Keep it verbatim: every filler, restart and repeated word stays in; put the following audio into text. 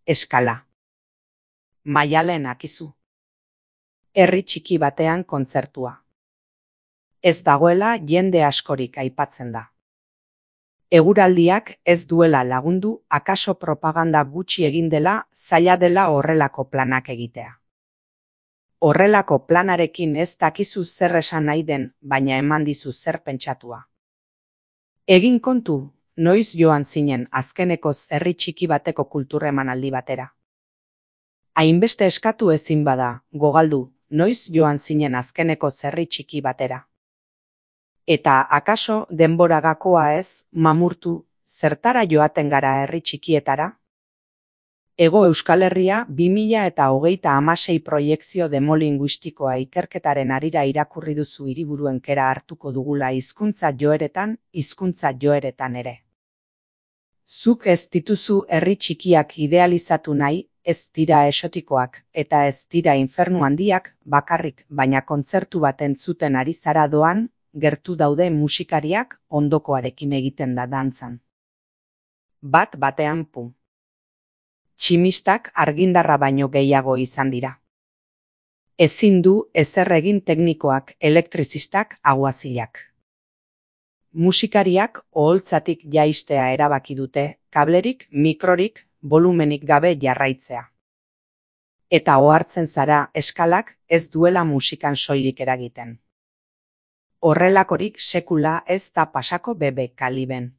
eskala. Maialen Akizu. Herri txiki batean kontzertua. Ez dagoela jende askorik aipatzen da. Eguraldiak ez duela lagundu, akaso propaganda gutxi egin dela, zaila dela horrelako planak egitea. Horrelako planarekin ez dakizu zer esan nahi den, baina eman dizu zer pentsatua. Egin kontu, noiz joan zinen azkenekoz herri txiki bateko kulturremanaldi batera. Hainbeste eskatu ezin bada, gogaldu, noiz joan zinen azkenekoz herri txiki batera. Eta akaso denbora gakoa ez, mamurtu, zertara joaten gara herri txikietara? Hego Euskal Herria bi mila eta hogeita hamasei proiekzio demolinguistikoa ikerketaren harira irakurri duzu hiriburuen kera hartuko dugula hizkuntza joeretan, hizkuntza joeretan ere. Zuk ez dituzu herri txikiak idealizatu nahi, ez dira esotikoak, eta ez dira infernu handiak, bakarrik, baina kontzertu bat entzuten ari zara doan, gertu daude musikariak ondokoarekin egiten da dantzan. Bat batean pu. Tximistak argindarra baino gehiago izan dira. Ezin du ezer egin teknikoak, elektrizistak, aguazilak. Musikariak oholtzatik jaistea erabaki dute, kablerik, mikrorik, volumenik gabe jarraitzea. Eta ohartzen zara eskalak ez duela musikan soilik eragiten. Horrelakorik sekula ez da pasako bebe kaliben.